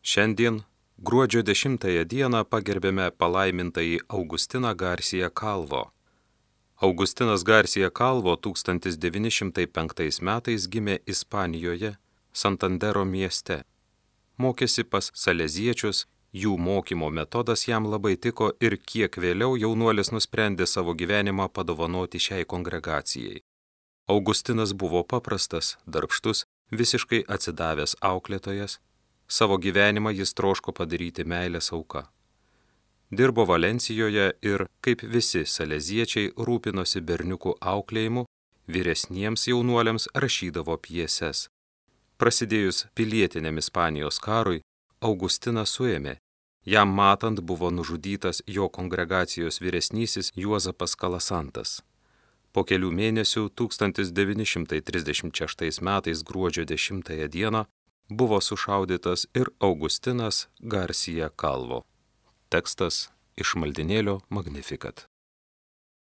Šiandien, gruodžio 10 dieną, pagerbėme palaimintąjį Augustiną Garcia Calvo. Augustinas Garcia Calvo 1905 metais gimė Ispanijoje, Santandero mieste. Mokėsi pas saleziečius, jų mokymo metodas jam labai tiko ir kiek vėliau jaunuolis nusprendė savo gyvenimą padovanoti šiai kongregacijai. Augustinas buvo paprastas, darbštus, visiškai atsidavęs auklėtojas. Savo gyvenimą jis troško padaryti meilės auka. Dirbo Valencijoje ir, kaip visi saleziečiai, rūpinosi berniukų auklėjimu, vyresniems jaunuoliams rašydavo pjeses. Prasidėjus pilietiniam Ispanijos karui, Augustiną suėmė. Jam matant buvo nužudytas jo kongregacijos vyresnysis Juozapas Kalasantas. Po kelių mėnesių 1936 metais gruodžio 10 dieną buvo sušaudytas ir Augustinas Garcia Calvo. Tekstas iš maldynėlio Magnificat.